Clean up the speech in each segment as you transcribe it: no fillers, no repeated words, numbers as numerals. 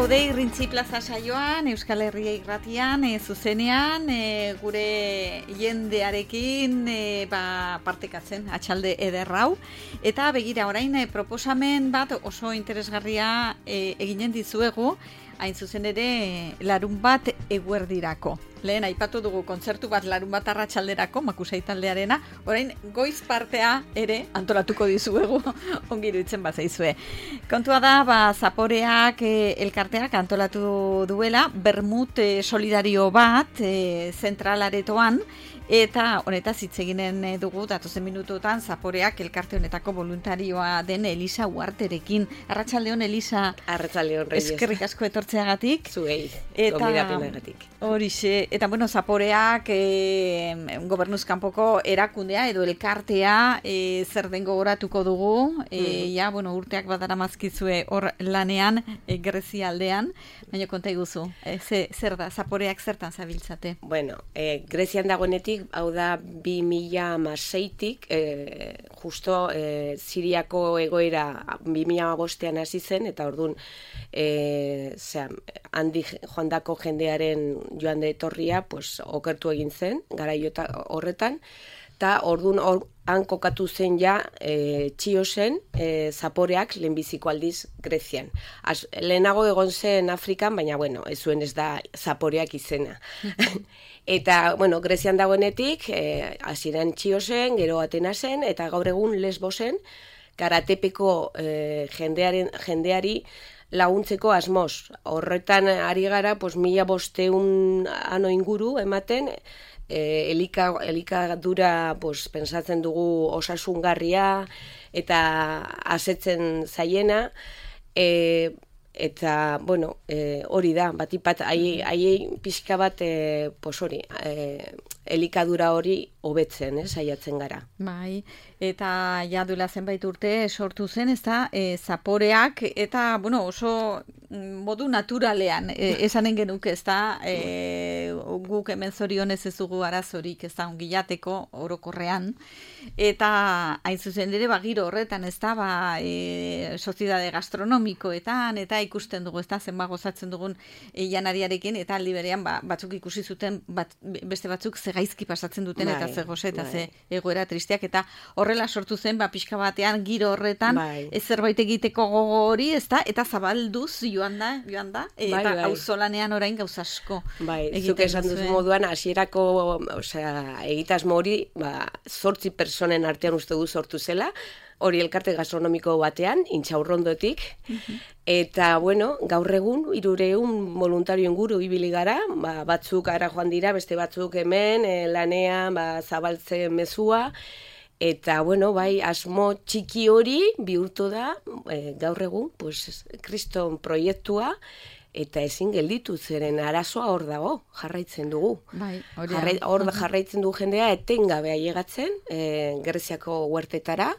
gaude Irrintzi Plaza saioan, Euskal Herria Irratian, zuzenean, gure jendearekin partekatzen atxalde ederrau. Eta begira orain proposamen bat oso interesgarria eginen dizuegu, hain zuzen ere larun bat eguerdirako. Lehen aipatu dugu kontzertu bat larun bat arratsalderako, Makusai taldearena, orain goiz partea ere antolatuko dizuegu, ongi iruditzen bazaizue. Kontua da, Zaporeak elkarteak antolatu duela, bermut solidario bat zentralaretoan, eta honetaz hitz eginen dugu datozen minutuetan Zaporeak elkarte honetako voluntarioa den Elisa Uarterekin. Arratsaldeon, Elisa. Arratsaldeon, Reyes. Eskerrik asko etortzeagatik. Zuei, gonbidapenagatik. Horixe, eta Zaporeak gobernuz kanpoko erakundea edo elkartea zer den gogoratuko dugu. Urteak badaramazkizue hor lanean Grezia aldean, baina konta iguzu, zer da, Zaporeak zertan zabiltzate? Grezian dagoenetik, hau da 2016-tik, justo Siriako egoera 2015-ean hasi zen, eta orduan handi joandako jendearen joan de etorria okertu egin zen, garaio horretan, eta orduan han kokatu zen ja Txiosen Zaporeak lehenbiziko aldiz Grezian. Lehenago egon zen Afrikan, baina ez zuen ez da Zaporeak izena. Eta, Grezian dagoenetik, hasieran Txiosen, gero Atenasen, eta gaur egun Lesbosen, Karatepeko jendeari laguntzeko asmoz. Horretan ari gara, 1500 ano inguru ematen, elikadura pensatzen dugu osasungarria eta asetzen zaiena, eta, hori da, batipat, haiei pixka bat, elikadura hori hobetzen, saiatzen gara. Bai, eta duela zenbait urte sortu zen, ez da, Zaporeak, eta, oso modu naturalean, esanen genuke, ez da, guk hemen zorionez ez dugu arazorik, ez da, ongillateko orokorrean, eta hain zuzen ere, giro horretan, ez da, soziedade gastronomikoetan, eta ikusten dugu, ez da, zenba gozatzen dugun janariarekin, eta aldi berean, batzuk ikusi zuten, beste batzuk gaizki pasatzen duten, eta ze goze, eta ze egoera tristeak, eta horrela sortu zen, pixka batean, giro horretan, ez zerbait egiteko gogo hori, ez da, eta zabalduz joan da, eta auzolanean orain gauza asko. Zuk esan duzu moduan, hasierako egitasmo hori, 8 personen artean uste du sortu zela, hori elkarte gastronomiko batean, Intxaurrondotik, eta, gaur egun, 300 voluntario inguru ibili gara, batzuk ara joan dira, beste batzuk hemen, lanean, zabaltzen mezua, eta, asmo txiki hori bihurtu da, gaur egun, Kriston proiektua, eta ezin gelditu zeren arazoa hor dago, jarraitzen dugu. Hor jarraitzen du jendea etengabe ailegatzen, Greziako huertetara,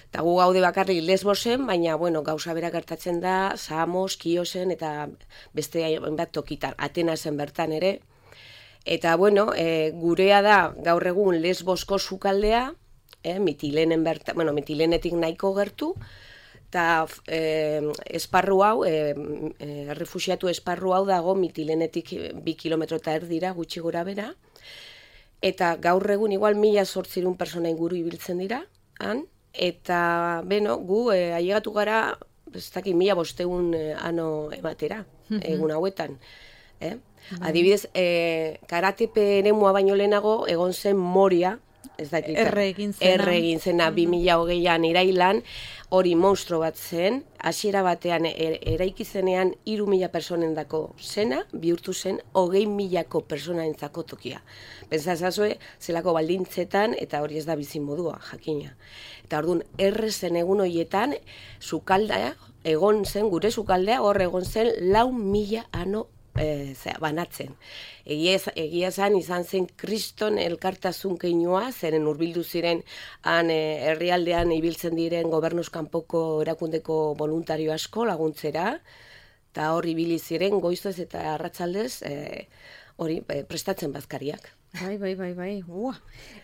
eta gu gaude bakarrik Lesbosen, baina, gauza bera gertatzen da, Samos, Kiosen, eta beste hainbat tokitan, Atenasen bertan ere. Eta, gurea da gaur egun Lesbosko sukaldea, Mitilenen bertan, Mitilenetik nahiko gertu, eta esparru hau, errefuxiatu esparru hau dago Mitilenetik 2 kilometro eta erdira, gutxi gora bera, eta gaur egun igual 1800 persona inguru ibiltzen dira, han, eta, gu ailegatu gara, ez dakit 1500 ano ematera, egun hauetan. Adibidez, Karatepe eremua baino lehenago egon zen Moria, ez dakit, erre egin zena 2020an irailan, hori monstro bat zen, hasiera batean eraiki zenean 3000 personendako zena, bihurtu zen 20.000 personaentzako tokia. Pentsazazue, zelako baldintzetan, eta hori ez da bizimodua, jakina. Eta orduan, erre zen egun horietan, sukaldea, gure sukaldea, hor egon zen 4.000 ano banatzen. Egia izan zen Kriston elkartasun keinua, zeren hurbildu ziren han herrialdean ibiltzen diren gobernuz kanpoko erakundeko voluntario asko laguntzera, eta hor ibili ziren goizez eta arratsaldez hori prestatzen bazkariak. Bai.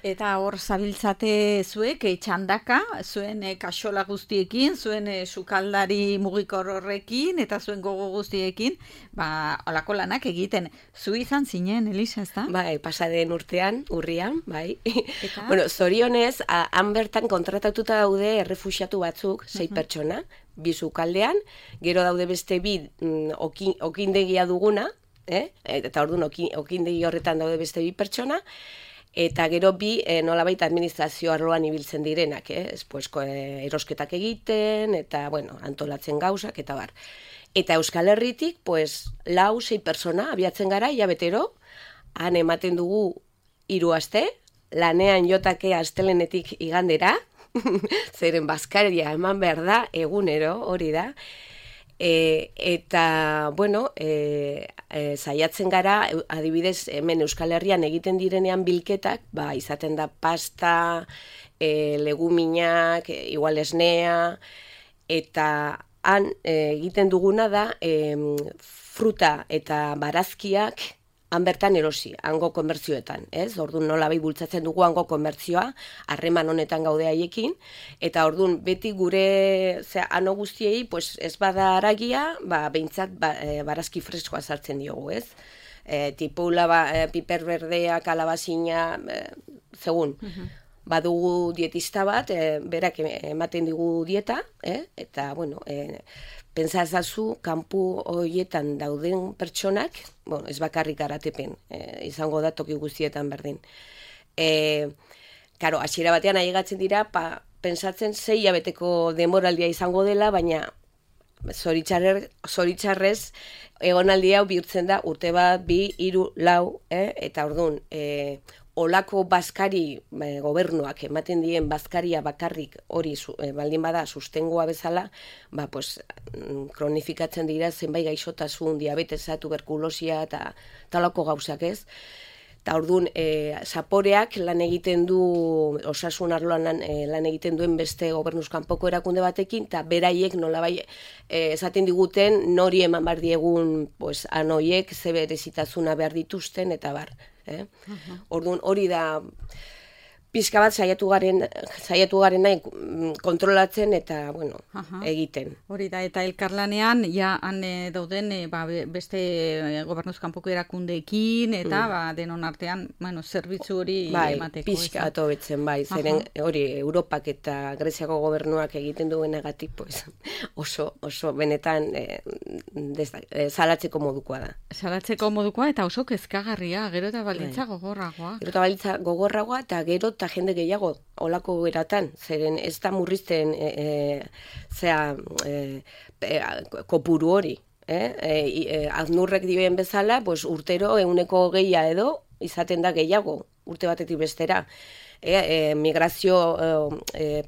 Eta hor zabiltzate zuek, txandaka, zuen kaxola guztiekin, zuen sukaldari mugikor horrekin, eta zuen gogo guztiekin, olako lanak egiten. Zu izan zinen, Elisa, ez da? Bai, pasaden urtean, urrian, bai. Bueno, zorionez, han bertan kontratatuta daude errefuxiatu batzuk, 6 pertsona, 2 sukaldean, gero daude beste 2 okindegia duguna, eta orduan okindegi horretan daude beste 2 pertsona, eta gero 2 nolabait administrazio arloan ibiltzen direnak, erosketak egiten, eta, bueno, antolatzen gauzak, eta bar. Eta Euskal Herritik, 4-6 pertsona abiatzen gara, hilabetero, han ematen dugu 3 aste, lanean jotake astelenetik igandera, zeren bazkaria eman behar da, egunero, hori da, eta, bueno, saiatzen gara, adibidez, hemen Euskal Herrian egiten direnean bilketak, izaten da pasta, leguminak, igual esnea, eta han egiten duguna da fruta eta barazkiak han bertan erosi, hango komertzioetan, ez? Orduan nolabait bultzatzen dugu hango komertzioa, harreman honetan gaude haiekin, eta orduan beti gure ano guztiei, ez bada haragia, behintzat barazki freskoa sartzen diogu, ez? Tipula, piper berdea, kalabazina, segun. Badugu dietista bat, berak ematen digu dieta, eta, bueno, pentsa ezazu, kanpu horietan dauden pertsonak, bueno, ez bakarrik garatepen, izango da toki guztietan berdin. Karo, hasiera batean ailegatzen dira, pentsatzen 6 hilabeteko denboraldia izango dela, baina zoritxarrez egonaldi hau bihurtzen da urte bat, 2, 3, 4, eta orduan, olako bazkari gobernuak ematen dien bazkaria bakarrik hori baldin bada sustengoa bezala, kronifikatzen dira zenbait gaixotasun, diabetesa, tuberkulosia eta talako gauzak, ez? Eta orduan, zaporeak lan egiten du, osasun arloan lan egiten duen beste gobernuz kanpoko erakunde batekin, eta beraiek nolabai esaten diguten nori eman behar diegun anoiek ze berezitasuna behar dituzten, eta bar. Orduan, hori da pixka bat saiatu garen nahi kontrolatzen eta, bueno, egiten. Hori da, eta elkarlanean, han dauden beste gobernuz kanpoko erakundeekin, eta denon artean, zerbitzu hori emateko. Bai, pixka atobetzen, zeren hori Europak eta Greziako gobernuak egiten duenagatik, oso benetan salatzeko modukoa da. Salatzeko modukoa eta oso kezkagarria, gero eta baldintza gogorragoa. Gero eta baldintza gogorragoa eta gero eta jende gehiago olako eratan, zeren ez da murrizten kopuru hori. Aznurrek dioen bezala, urtero 120 edo izaten da gehiago, urte batetik bestera. Migrazio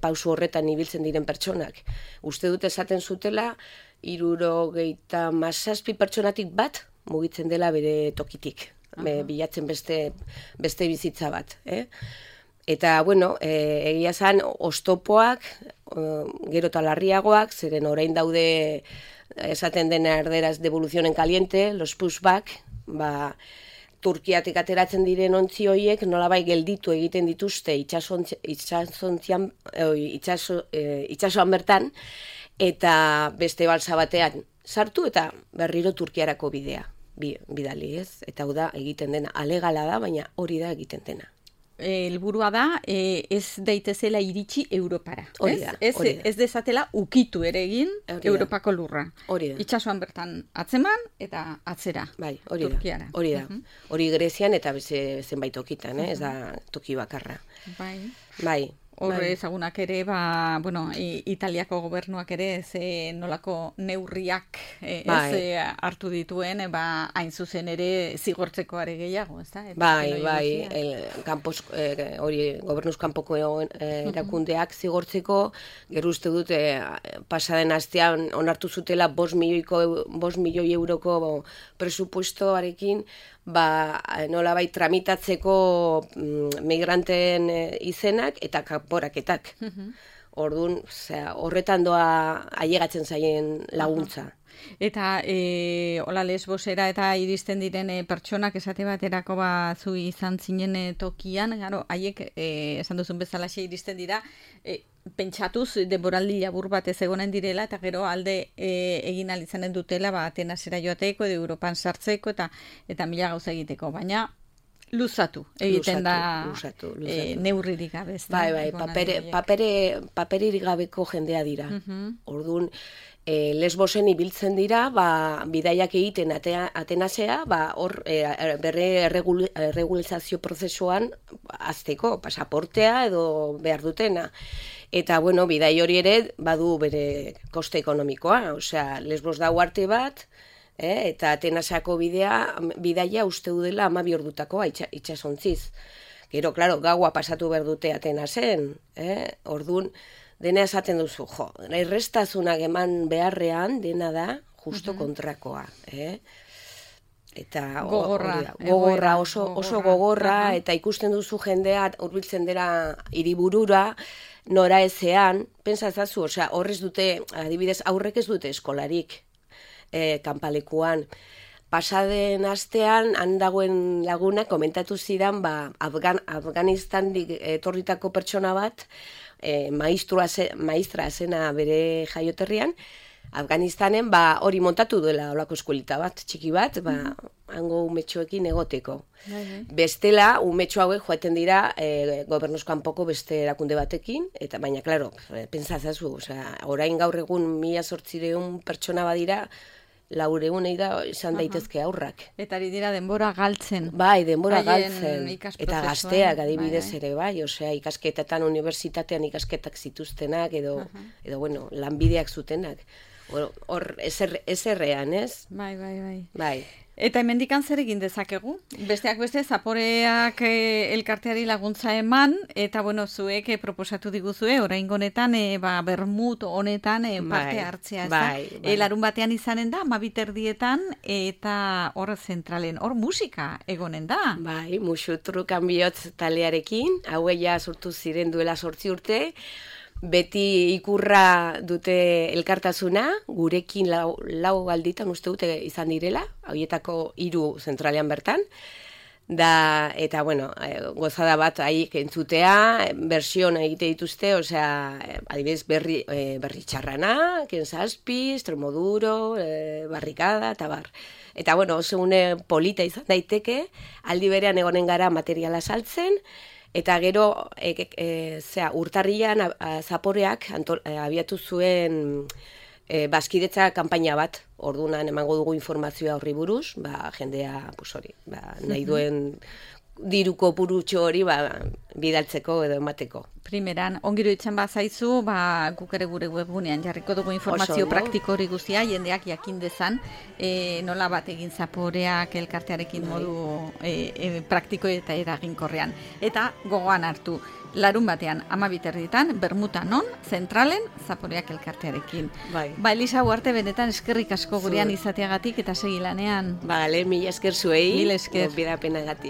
pausu horretan ibiltzen diren pertsonak. Uste dut esaten zutela, 77 pertsonatik bat mugitzen dela bere tokitik. Bilatzen beste bizitza bat. Eta, bueno, egia zan, oztopoak, gero eta larriagoak, zeren orain daude esaten dena erderaz devolución en caliente, los pushback, Turkiatik ateratzen diren ontzi horiek nolabai gelditu egiten dituzte itsasoan bertan, eta beste balsa batean sartu eta berriro Turkiarako bidali, ez? Eta hau da egiten dena, alegala da, baina hori da egiten dena. Helburua da, ez daitezela iritsi Europara. Hori da. Ez dezatela ukitu ere egin Europako lurra. Hori da. Itsasoan bertan atzeman eta atzera. Bai, hori Turkiara. Da. Hori da. Hori Grezian eta zenbait tokitan, ez da toki bakarra. Bai. Horre ezagunak ere, Italiako gobernuak ere nolako neurriak hartu dituen, hain zuzen ere zigortzeko are gehiago, ez da? Bai, hori gobernuz kanpoko erakundeak zigortzeko, gero uste dut pasaden astean onartu zutela 5 milioi euroko presupuestoarekin, nolabait tramitatzeko migranteen izenak eta kanporaketak. Orduan, horretan doa ailegatzen zaien laguntza. Eta hola Lesbosera eta iristen diren pertsonak esate baterako zu izan zinen tokian, gero, haiek esan duzun bezalaxe iristen dira, pentsatuz denboraldi labur bat ez egonen direla eta gero alde egin alizanen dutela Atenasera joateko edo Europan sartzeko eta mila gauza egiteko, baina luzatu egiten luzatu. Neurririk gabe. Bai, paperirik gabeko jendea dira. Orduan, Lesbosen ibiltzen dira, bidaiak egiten Atenasea, hor berre erregulizazio prozesuan azteko, pasaportea edo behar dutena. Eta, bueno, bidai hori ere badu bere koste ekonomikoa, osea, Lesbos da uarte bat, eta Atenasako bidaia uste dudela 12 ordutakoa itxasontziz. Gero, klaro, gaua pasatu behar dute Atenasen, orduan, dena esaten duzu, errestazunak eman beharrean dena da justo kontrakoa. Eta gogorra, oso gogorra, eta ikusten duzu jendea hurbiltzen dela hiriburura, nora ezean, pentsazazu, osea, horrez dute, adibidez, aurrek ez dute eskolarik kanpalekuan. Pasaden astean, han dagoen laguna, komentatu zidan, Afganistandik etorritako pertsona bat, maistra zena bere jaioterrian, Afganistanen hori montatu duela olako eskuelita bat, txiki bat, hango umetxoekin egoteko. Bestela, umetxo hauek joaten dira gobernuz kanpoko beste erakunde batekin, eta baina, klaro, pentsazazu, orain gaur egun 1800 pertsona badira, 400 izan daitezke aurrak. Eta ari dira denbora galtzen. Bai, denbora galtzen. Eta gazteak adibidez ere, bai, osea, ikasketetan, unibertsitatean ikasketak zituztenak, edo bueno, lanbideak zutenak. Hor, ezerrean, ez? Bai. Eta hemendikan zer egin dezakegu? Besteak beste, Zaporeak elkarteari laguntza eman, eta bueno, zuek proposatu diguzue, oraingo honetan, bermut honetan parte hartzea, ez da? Larun batean izanen da, 12:00 eta hor zentralen, hor musika egonen da. Bai, Muxutrukan bihotz talearekin, haueia sortu ziren duela 8 urte, beti ikurra dute elkartasuna, gurekin lau alditan uste dute izan direla, hauietako 3 zentralean bertan, eta, bueno, gozada bat haiek entzutea, bersion egite dituzte, osea, adibidez berri txarrana, Kensazpi, Estremoduro, Barrikada, eta bar. Eta, bueno, oso une polita izan daiteke, aldi berean egonen gara materiala saltzen, eta gero, urtarrian Zaporeak abiatu zuen bazkidetza kanpaina bat, orduan emango dugu informazioa horri buruz, jendea, nahi duen diruko purutxo hori bidaltzeko edo emateko. Primeran, ongiro itzen bazaizu, guk ere gure webgunean jarriko dugu informazio praktiko hori guztia, jendeak jakin dezan, nola bat egin Zaporeak elkartearekin modu praktiko eta eraginkorrean. Eta gogoan hartu, larun batean 12:00 bermutan non, zentralen, Zaporeak elkartearekin. Elisa Uarte, benetan eskerrik asko gurean izateagatik eta segilanean. Mila esker zuei, mila esker. Bidapenagatik.